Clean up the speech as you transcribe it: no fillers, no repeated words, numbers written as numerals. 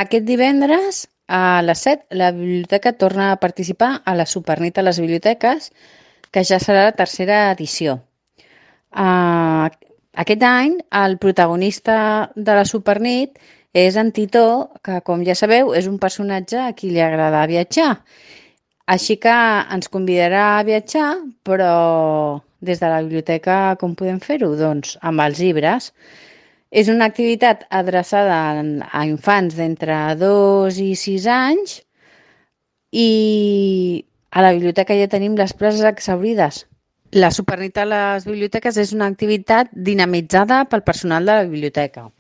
Aquest divendres a les 7 la biblioteca torna a participar a la Supernit a les biblioteques, que ja serà la tercera edició. Uh, Aquest any el protagonista de la Supernit és en Titó, que com ja sabeu és un personatge a qui li agrada viatjar. Així que ens convidarà a viatjar, però des de la biblioteca com podem fer-ho? Doncs amb els llibres. És una activitat adreçada a infants d'entre 2 i 6 anys i a la biblioteca ja tenim les places exhaurides. La Supernit a les biblioteques és una activitat dinamitzada pel personal de la biblioteca.